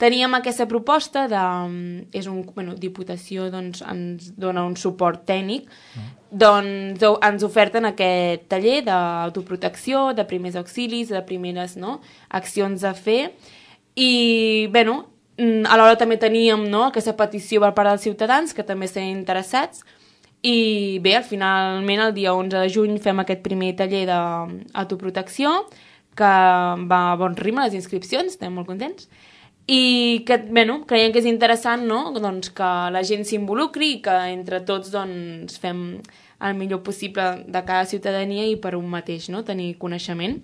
teníem aquesta proposta de... Diputació doncs, ens dona un suport tècnic, doncs ens oferten aquest taller d'autoprotecció, de primers auxilis, de primeres accions a fer, i alhora també teníem aquesta petició per part dels ciutadans que també estan interessats, i bé, finalment el dia 11 de juny fem aquest primer taller d'autoprotecció, que va a bon ritme les inscripcions, estem molt contents, i que creiem que és interessant doncs que la gent s'involucri i que entre tots doncs, fem el millor possible de cada ciutadania i per un mateix tenir coneixement.